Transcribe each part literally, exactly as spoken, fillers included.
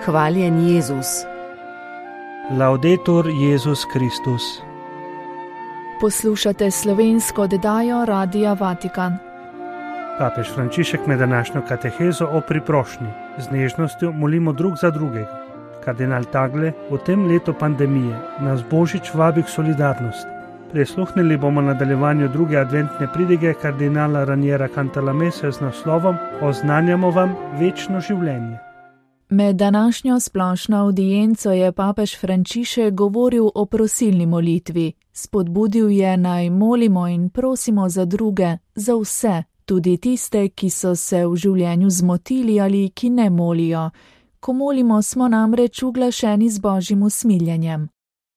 Hvaljen Jezus. Laudetur Jezus Kristus. Poslušate slovensko oddajo Radia Vatikan. Papež Frančišek med današnjo katehezo o priprošnji. Z nežnostjo molimo drug za drugega. Kardinal Tagle v tem letu pandemije nas Božič vabi k solidarnosti. Prisluhnili bomo nadaljevanju druge adventne pridige kardinala Raniera Cantalamesse z naslovom Oznanjamo vam večno življenje. Med današnjo splošno avdienco je papež Frančišek govoril o prosilni molitvi. Spodbudil je, naj molimo in prosimo za druge, za vse, tudi tiste, ki so se v življenju zmotili ali ki ne molijo. Ko molimo, smo namreč uglašeni z Božjim usmiljenjem.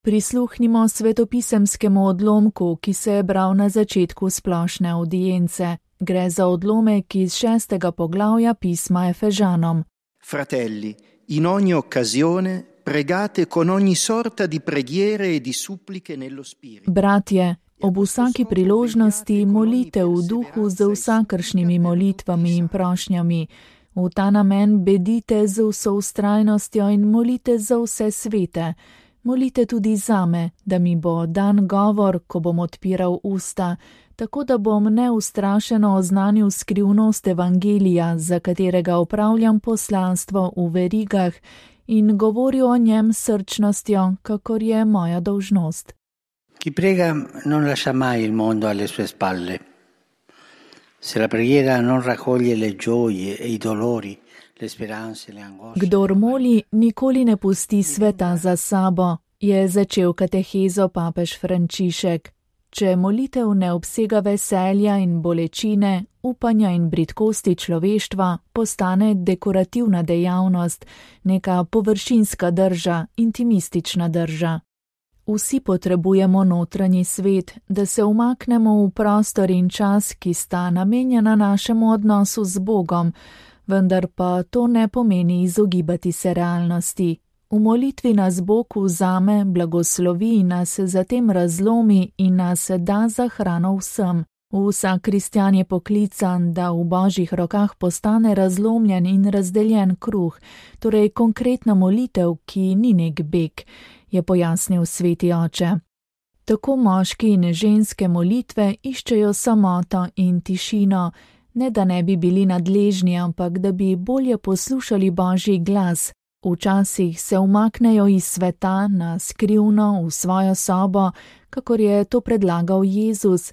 Prisluhnimo svetopisemskemu odlomku, ki se je bral na začetku splošne avdience. Gre za odlomek iz šestega poglavja pisma Efežanom. Fratelli, in ogni occasione pregate con ogni sorta di preghiere e di suppliche nello spirito. Bratje, ob vsaki priložnosti molite v duhu z vsakršnimi molitvami in prošnjami. V ta namen bedite z vso vztrajnostjo in molite za vse svete. Molite tudi zame, da mi bo dan govor, ko bom odpiral usta, tako da bom neustrašeno oznanil skrivnost evangelija, za katerega opravljam poslanstvo v verigah in govoril o njem s srčnostjo, kakor je moja dolžnost. Chi prega non lascia mai il mondo alle sue spalle. Se la preghiera non raccoglie le gioie e i dolori, le speranze, le angosce. Kdor moli, nikoli ne pusti sveta za sabo, je začel katehezo papež Frančišek. Če molitev ne obsega veselja in bolečine, upanja in bridkosti človeštva, postane dekorativna dejavnost, neka površinska drža, intimistična drža. Vsi potrebujemo notranji svet, da se umaknemo v prostor in čas, ki sta namenjena našemu odnosu z Bogom, vendar pa to ne pomeni izogibati se realnosti. V molitvi nas Bog vzame, blagoslovi in nas zatem razlomi in nas da za hrano vsem. Vsak kristjan je poklican, da v Božjih rokah postane razlomljen in razdeljen kruh, torej konkretna molitev, ki ni nek beg, je pojasnil sveti oče. Tako moški in ženske molitve iščejo samoto in tišino, ne da ne bi bili nadležni, ampak da bi bolje poslušali Božji glas. Včasih se umaknejo iz sveta na skrivno v svojo sobo, kakor je to predlagal Jezus,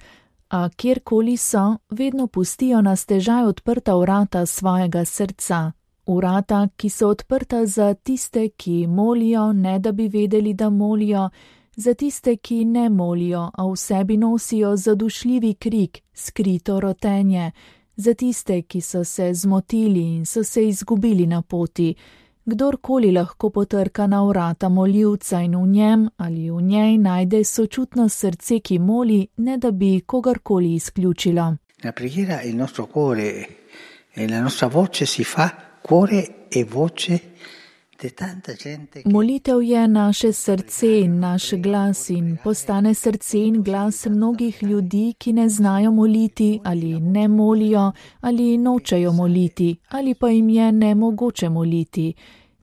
a kjerkoli so, vedno pustijo na stežaj odprta vrata svojega srca. Vrata, ki so odprta za tiste, ki molijo, ne da bi vedeli, da molijo, za tiste, ki ne molijo, a v sebi nosijo zadušljivi krik, skrito rotenje, za tiste, ki so se zmotili in so se izgubili na poti. Kdorkoli lahko potrka na vrata moljivca in v njem ali v njej najde sočutno srce, ki moli, ne da bi kogarkoli izključilo. La preghiera è il nostro cuore e la nostra voce si fa cuore e voce di tanta gente. Molitev je naše srce in naš glas in postane srce in glas mnogih ljudi, ki ne znajo moliti ali ne molijo ali nočejo moliti ali pa jim je nemogoče moliti.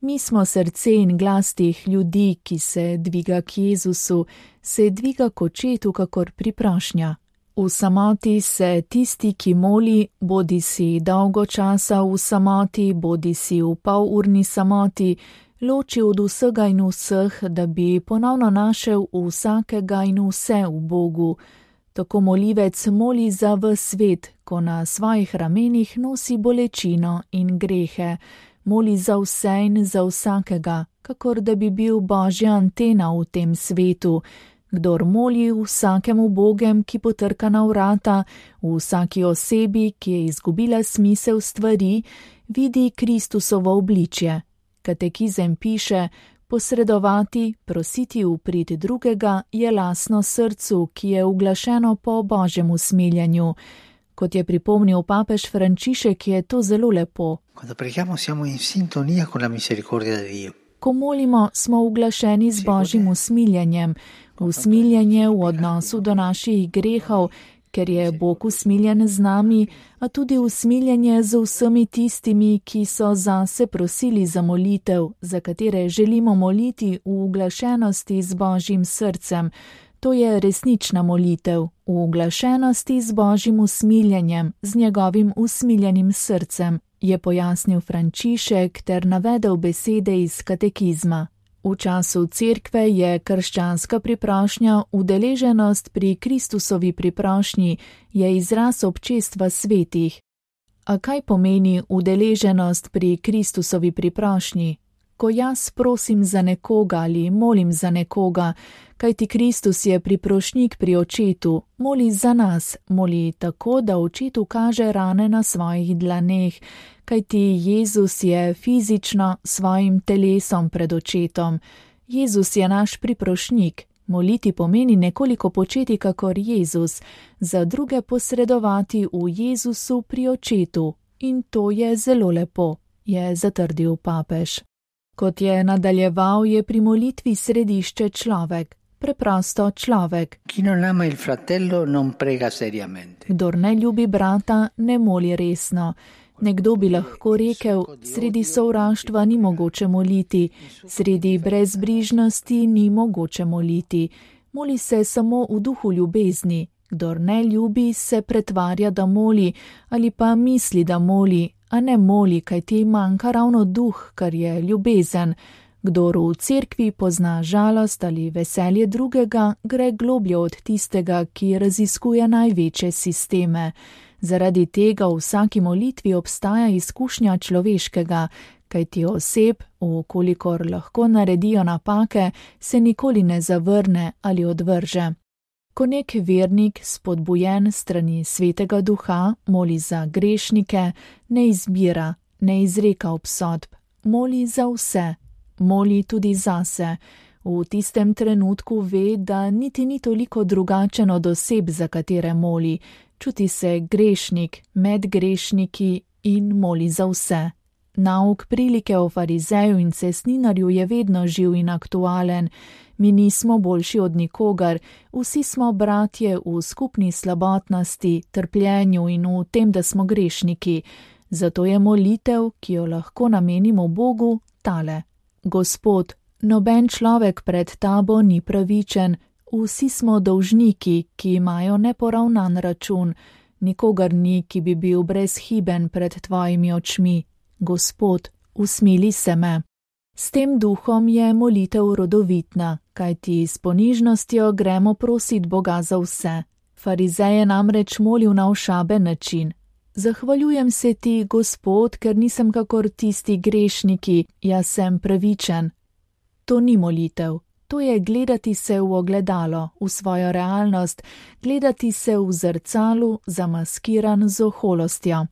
Mi smo srce in glas teh ljudi, ki se dviga k Jezusu, se dviga k očetu kakor priprošnja. V samoti se tisti, ki moli, bodi si dolgo časa v samoti, bodi si v polurni samoti, loči od vsega in vseh, da bi ponovno našel vsakega in vse v Bogu. Tako molivec moli za ves svet, ko na svojih ramenih nosi bolečino in grehe. Moli za vse in za vsakega, kakor da bi bil Božja antena v tem svetu. Kdor moli vsakemu Bogem, ki potrka na vrata, v vsaki osebi, ki je izgubila smisel stvari, vidi Kristusovo obličje. Katekizem piše, posredovati, prositi v prid drugega je lastno srcu, ki je uglašeno po Božjem usmiljenju. Kot je pripomnil papež Frančišek, je to zelo lepo. Quando preghiamo siamo in sintonia con la misericordia di Dio. Ko molimo, smo uglašeni z Božjim usmiljenjem, usmiljenje v odnosu do naših grehov, ker je Bog usmiljen z nami, a tudi usmiljenje z vsemi tistimi, ki so zase prosili za molitev, za katere želimo moliti v uglašenosti z Božjim srcem. To je resnična molitev, v uglašenosti z Božjim usmiljenjem, z njegovim usmiljenim srcem, je pojasnil Frančišek ter navedel besede iz katekizma. V času cerkve je krščanska priprošnja, udeleženost pri Kristusovi priprošnji, je izraz občestva svetih. A kaj pomeni udeleženost pri Kristusovi priprošnji? Ko jaz prosim za nekoga ali molim za nekoga, kajti Kristus je priprošnik pri očetu, moli za nas, moli tako, da očetu kaže rane na svojih dlaneh, kajti Jezus je fizično svojim telesom pred očetom. Jezus je naš priprošnik. Moliti pomeni nekoliko početi kakor Jezus, za druge posredovati v Jezusu pri očetu. In to je zelo lepo, je zatrdil papež. Kot je nadaljeval, je pri molitvi središče človek, preprosto človek. Kdor ne ljubi brata, ne moli resno. Nekdo bi lahko rekel, sredi sovraštva ni mogoče moliti, sredi brezbrižnosti ni mogoče moliti. Moli se samo v duhu ljubezni. Kdor ne ljubi, se pretvarja, da moli, ali pa misli, da moli, a ne moli, kaj ti manjka ravno duh, kar je ljubezen. Kdor v cerkvi pozna žalost ali veselje drugega, gre globlje od tistega, ki raziskuje največje sisteme. Zaradi tega v vsaki molitvi obstaja izkušnja človeškega, kajti oseb, vkolikor lahko naredijo napake, se nikoli ne zavrne ali odvrže. Ko nek vernik, spodbujen strani svetega duha, moli za grešnike, ne izbira, ne izreka obsodb, moli za vse, moli tudi zase. V tistem trenutku ve, da niti ni toliko drugačen od oseb, za katere moli, čuti se grešnik med grešniki in moli za vse. Nauk prilike o farizeju in cestninarju je vedno živ in aktualen. Mi nismo boljši od nikogar, vsi smo bratje v skupni slabotnosti, trpljenju in v tem, da smo grešniki. Zato je molitev, ki jo lahko namenimo Bogu, tale. Gospod, noben človek pred tabo ni pravičen, vsi smo dolžniki, ki imajo neporavnan račun. Nikogar ni, ki bi bil brezhiben pred tvojimi očmi. Gospod, usmili se me. S tem duhom je molitev rodovitna, kajti s ponižnostjo gremo prosit Boga za vse. Farizej je namreč molil na ošaben način. Zahvaljujem se ti, Gospod, ker nisem kakor tisti grešniki, jaz sem pravičen. To ni molitev, to je gledati se v ogledalo, v svojo realnost, gledati se v zrcalu, zamaskiran z oholostjo.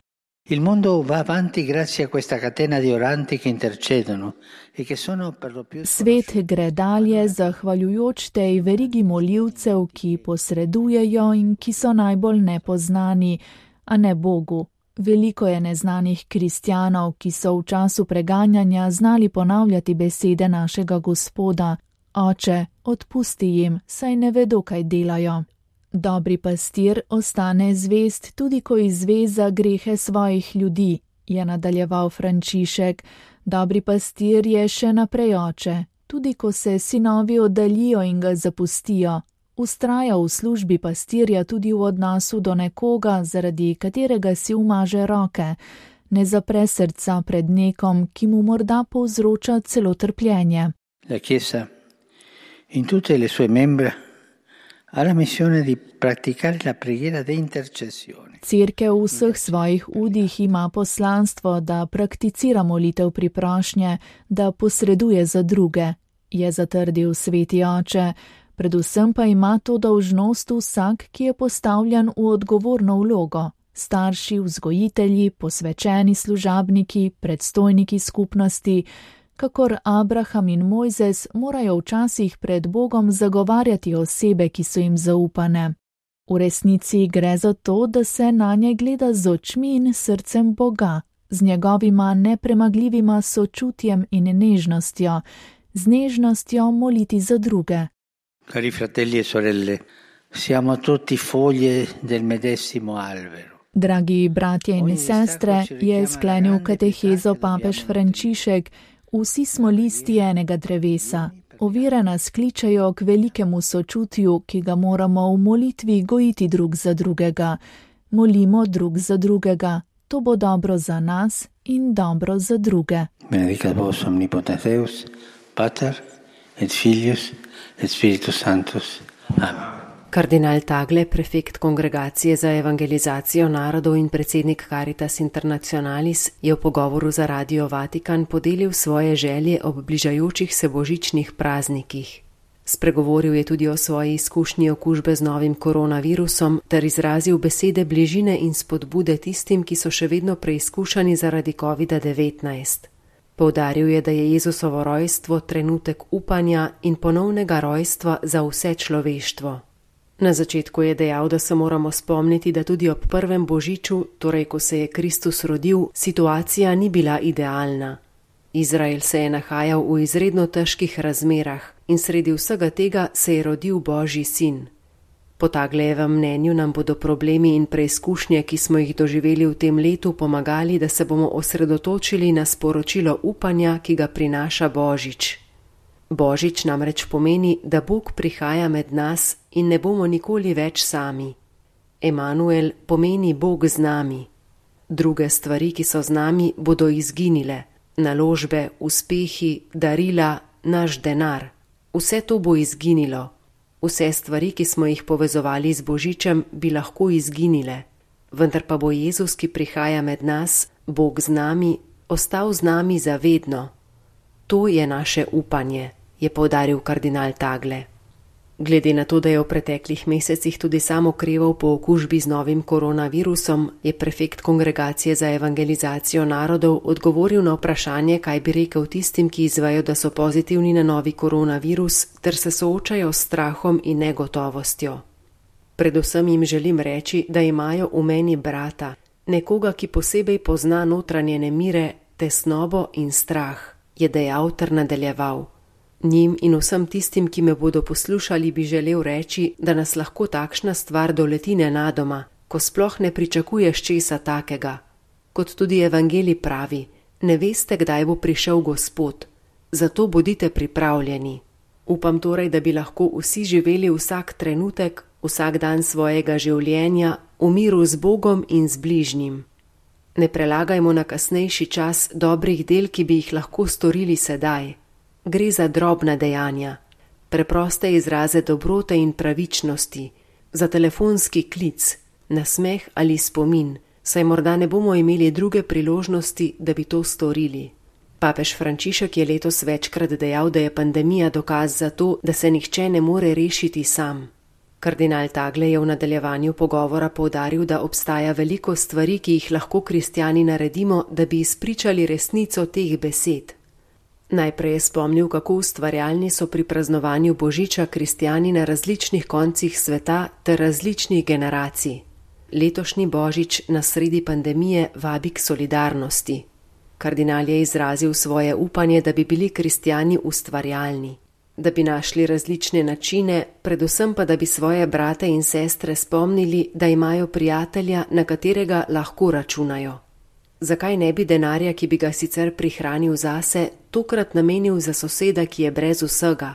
Il mondo va avanti grazie a questa catena di oranti che intercedono e che sono per lo più... Svet gre dalje zahvaljujoč tej verigi molivcev, ki posredujejo in ki so najbolj nepoznani, a ne Bogu. Veliko je neznanih kristjanov, ki so v času preganjanja znali ponavljati besede našega Gospoda. Oče, odpusti jim, saj ne vedo, kaj delajo. Dobri pastir ostane zvest tudi, ko izve za grehe svojih ljudi, je nadaljeval Frančišek. Dobri pastir je še naprej oče, tudi ko se sinovi oddaljijo in ga zapustijo. Ustraja v službi pastirja tudi v odnosu do nekoga, zaradi katerega si umaže roke. Ne zapre srca pred nekom, ki mu morda povzroča celo trpljenje. La Chiesa in tutte le sue membra ha la missione di praticare la preghiera di intercessione. Cerkev v vseh svojih udih ima poslanstvo, da prakticira molitev priprošnje, da posreduje za druge, je zatrdil sveti oče. Predvsem pa ima to dolžnost vsak, ki je postavljen v odgovorno vlogo. Starši, vzgojitelji, posvečeni služabniki, predstojniki skupnosti, kakor Abraham in Mojzes morajo včasih pred Bogom zagovarjati osebe, ki so jim zaupane. V resnici gre za to, da se na nje gleda z očmi in srcem Boga, z njegovima nepremagljivima sočutjem in nežnostjo, z nežnostjo moliti za druge. Cari fratelli e sorelle, Siamo tutti foglie del medesimo albero. Dragi bratje in sestre, je sklenil katehezo papež Frančišek, vsi smo listi enega drevesa. Ovire nas kličejo k velikemu sočutju, ki ga moramo v molitvi gojiti drug za drugega. Molimo drug za drugega. To bo dobro za nas in dobro za druge. Benedicat vos omnipotens Deus, Pater et Filius et Spiritus Sanctus. Amen. Kardinal Tagle, prefekt Kongregacije za evangelizacijo narodov in predsednik Caritas Internationalis, je v pogovoru za Radio Vatikan podelil svoje želje ob bližajočih se božičnih praznikih. Spregovoril je tudi o svoji izkušnji okužbe z novim koronavirusom ter izrazil besede bližine in spodbude tistim, ki so še vedno preizkušani zaradi kovida devetnajst. Poudaril je, da je Jezusovo rojstvo trenutek upanja in ponovnega rojstva za vse človeštvo. Na začetku je dejal, da se moramo spomniti, da tudi ob prvem božiču, torej ko se je Kristus rodil, situacija ni bila idealna. Izrael se je nahajal v izredno težkih razmerah in sredi vsega tega se je rodil Božji sin. Po Taglejevem mnenju nam bodo problemi in preizkušnje, ki smo jih doživeli v tem letu, pomagali, da se bomo osredotočili na sporočilo upanja, ki ga prinaša Božič. Božič namreč pomeni, da Bog prihaja med nas in ne bomo nikoli več sami. Emanuel pomeni Bog z nami. Druge stvari, ki so z nami, bodo izginile. Naložbe, uspehi, darila, naš denar. Vse to bo izginilo. Vse stvari, ki smo jih povezovali z Božičem, bi lahko izginile. Vendar pa bo Jezus, ki prihaja med nas, Bog z nami, ostal z nami zavedno. To je naše upanje, je poudaril kardinal Tagle. Glede na to, da je v preteklih mesecih tudi sam okreval po okužbi z novim koronavirusom, je prefekt Kongregacije za evangelizacijo narodov odgovoril na vprašanje, kaj bi rekel tistim, ki izvejo, da so pozitivni na novi koronavirus, ter se soočajo s strahom in negotovostjo. Predvsem jim želim reči, da imajo v meni brata, nekoga, ki posebej pozna notranje nemire, tesnobo in strah, je dejal ter nadaljeval. Njim in vsem tistim, ki me bodo poslušali, bi želel reči, da nas lahko takšna stvar doleti nenadoma, ko sploh ne pričakuješ česa takega. Kot tudi evangelij pravi, ne veste, kdaj bo prišel Gospod, zato bodite pripravljeni. Upam torej, da bi lahko vsi živeli vsak trenutek, vsak dan svojega življenja, v miru z Bogom in z bližnjim. Ne prelagajmo na kasnejši čas dobrih del, ki bi jih lahko storili sedaj. Gre za drobna dejanja, preproste izraze dobrote in pravičnosti, za telefonski klic, nasmeh ali spomin, saj morda ne bomo imeli druge priložnosti, da bi to storili. Papež Frančišek je letos večkrat dejal, da je pandemija dokaz za to, da se nihče ne more rešiti sam. Kardinal Tagle je v nadaljevanju pogovora poudaril, da obstaja veliko stvari, ki jih lahko kristjani naredimo, da bi izpričali resnico teh besed. Najprej je spomnil, kako ustvarjalni so pri praznovanju Božiča kristjani na različnih koncih sveta ter različnih generacij. Letošnji Božič na sredi pandemije vabi k solidarnosti. Kardinal je izrazil svoje upanje, da bi bili kristjani ustvarjalni, da bi našli različne načine, predvsem pa, da bi svoje brate in sestre spomnili, da imajo prijatelja, na katerega lahko računajo. Zakaj ne bi denarja, ki bi ga sicer prihranil zase, tokrat namenil za soseda, ki je brez vsega?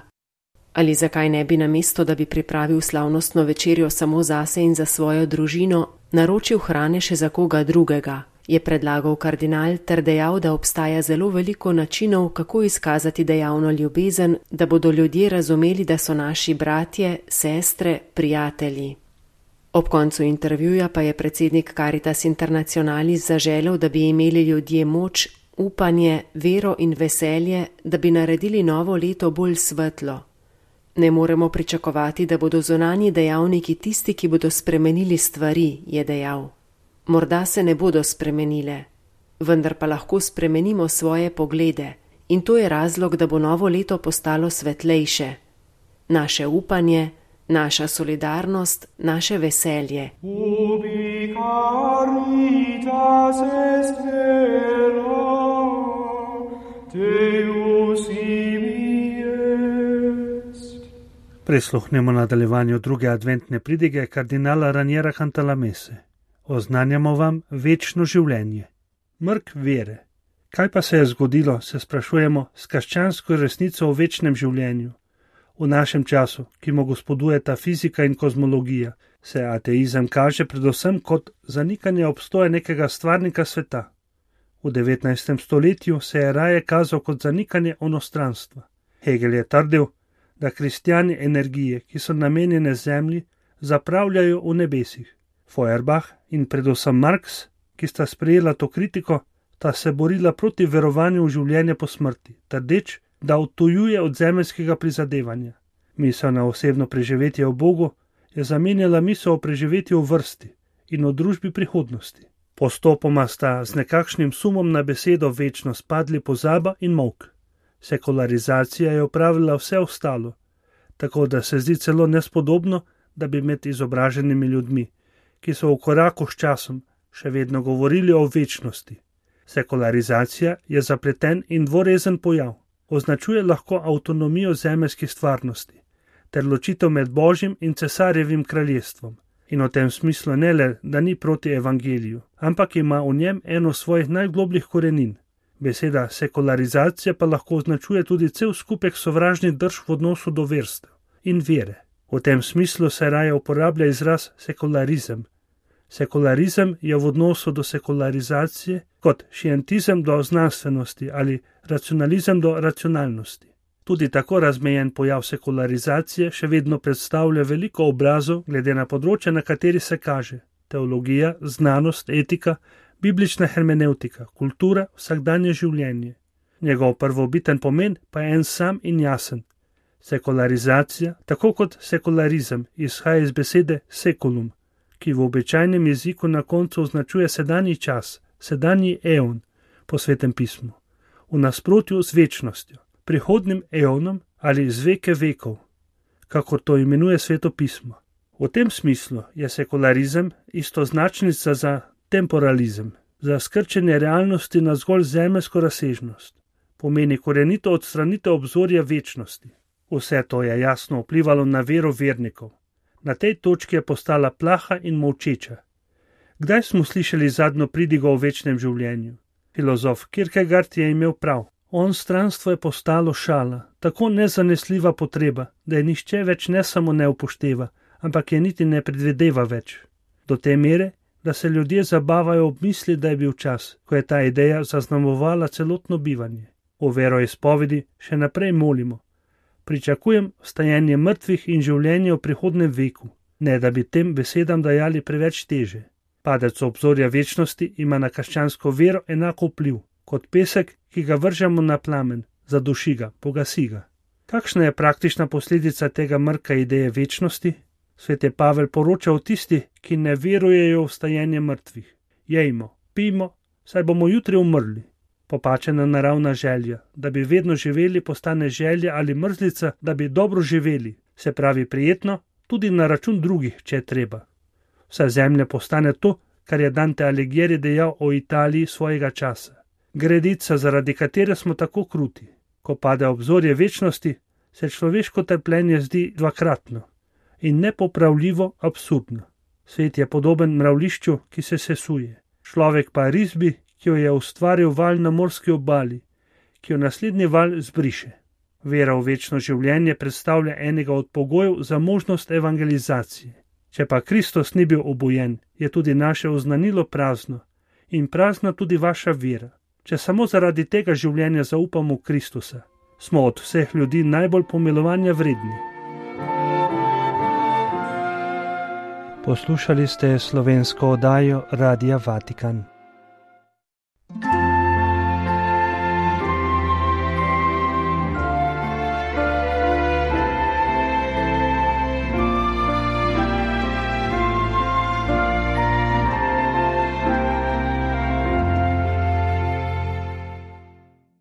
Ali zakaj ne bi namesto, da bi pripravil slavnostno večerjo samo zase in za svojo družino, naročil hrane še za koga drugega? Je predlagal kardinal ter dejal, da obstaja zelo veliko načinov, kako izkazati dejavno ljubezen, da bodo ljudje razumeli, da so naši bratje, sestre, prijatelji. Ob koncu intervjuja pa je predsednik Caritas Internationalis zaželel, da bi imeli ljudje moč, upanje, vero in veselje, da bi naredili novo leto bolj svetlo. Ne moremo pričakovati, da bodo zunanji dejavniki tisti, ki bodo spremenili stvari, je dejal. Morda se ne bodo spremenile, vendar pa lahko spremenimo svoje poglede in to je razlog, da bo novo leto postalo svetlejše. Naše upanje, naša solidarnost, naše veselje. Ubi caritas est vera, Deus ibi est. Prisluhnemo nadaljevanju druge adventne pridige kardinala Raniera Cantalamesse. Oznanjamo vam večno življenje. Mrk vere. Kaj pa se je zgodilo, se sprašujemo, s krščansko resnico o večnem življenju? V našem času, ki mu gospodujeta fizika in kozmologija, se ateizem kaže predvsem kot zanikanje obstoja nekega stvarnika sveta. V devetnajstem stoletju se je raje kazal kot zanikanje onostranstva. Hegel je trdil, da kristjani energije, ki so namenjene zemlji, zapravljajo v nebesih. Feuerbach in predvsem Marx, ki sta sprejela to kritiko, sta se borila proti verovanju v življenje po smrti, trdeč, da odtujuje od zemeljskega prizadevanja. Misel na osebno preživetje v Bogu je zamenjala misel o preživetju v vrsti in o družbi prihodnosti. Postopoma sta z nekakšnim sumom na besedo večno spadli pozaba in molk. Sekularizacija je opravila vse ostalo, tako da se zdi celo nespodobno, da bi med izobraženimi ljudmi, ki so v koraku s časom, še vedno govorili o večnosti. Sekularizacija je zapleten in dvorezen pojav, označuje lahko avtonomijo zemeljskih stvarnosti, ter ločitev med Božjim in cesarjevim kraljestvom. In v tem smislu ne le, da ni proti evangeliju, ampak ima v njem eno svojih najglobljih korenin. Beseda sekularizacija pa lahko označuje tudi cel skupek sovražnih drž v odnosu do verstev in vere. V tem smislu se raje uporablja izraz sekularizem. Sekularizem je v odnosu do sekularizacije kot šientizem do znanstvenosti ali racionalizem do racionalnosti. Tudi tako razmejen pojav sekularizacije še vedno predstavlja veliko obrazov glede na področje, na kateri se kaže: teologija, znanost, etika, biblična hermeneutika, kultura, vsakdanje življenje. Njegov prvobiten pomen pa je en sam in jasen. Sekularizacija, tako kot sekularizem, izhaja iz besede seculum, ki v običajnem jeziku na koncu označuje sedanji čas, sedanji eon po Svetem pismu, v nasprotju z večnostjo, prihodnim eonom ali z veke vekov, kakor to imenuje Sveto pismo. V tem smislu je sekularizem istoznačnica za temporalizem, za skrčenje realnosti na zgolj zemeljsko razsežnost. Pomeni korenito odstranitev obzorja večnosti. Vse to je jasno vplivalo na vero vernikov. Na tej točki je postala plaha in molčeča. Kdaj smo slišali zadnjo pridigo o večnem življenju? Filozof Kierkegaard je imel prav. Onstranstvo je postalo šala, tako nezanesljiva potreba, da je nihče več ne samo ne upošteva, ampak je niti ne predvideva več. Do te mere, da se ljudje zabavajo ob misli, da je bil čas, ko je ta ideja zaznamovala celotno bivanje. V veroizpovedi še naprej molimo: pričakujem vstajenje mrtvih in življenje v prihodnem veku, ne da bi tem besedam dajali preveč teže. Padec obzorja večnosti ima na krščansko vero enako vpliv kot pesek, ki ga vržemo na plamen, zaduši ga, pogasi ga. Kakšna je praktična posledica tega mrka ideje večnosti? Sveti Pavel poroča o tistih, ki ne verujejo v vstajenje mrtvih. Jejmo, pijmo, saj bomo jutri umrli. Popačena naravna želja, da bi vedno živeli, postane želja ali mrzlica, da bi dobro živeli, se pravi prijetno, tudi na račun drugih, če je treba. Vsa zemlja postane to, kar je Dante Alighieri dejal o Italiji svojega časa. Gredica, zaradi katere smo tako kruti. Ko pade obzorje večnosti, se človeško trpljenje zdi dvakratno in nepopravljivo absurdno. Svet je podoben mravlišču, ki se sesuje. Človek pa risbi, ki jo je ustvaril val na morski obali, ki jo naslednji val zbriše. Vera v večno življenje predstavlja enega od pogojev za možnost evangelizacije. Če pa Kristus ni bil obojen, je tudi naše oznanilo prazno in prazna tudi vaša vera. Če samo zaradi tega življenja zaupamo v Kristusa, smo od vseh ljudi najbolj pomilovanja vredni. Poslušali ste slovensko oddajo Radia Vatikan.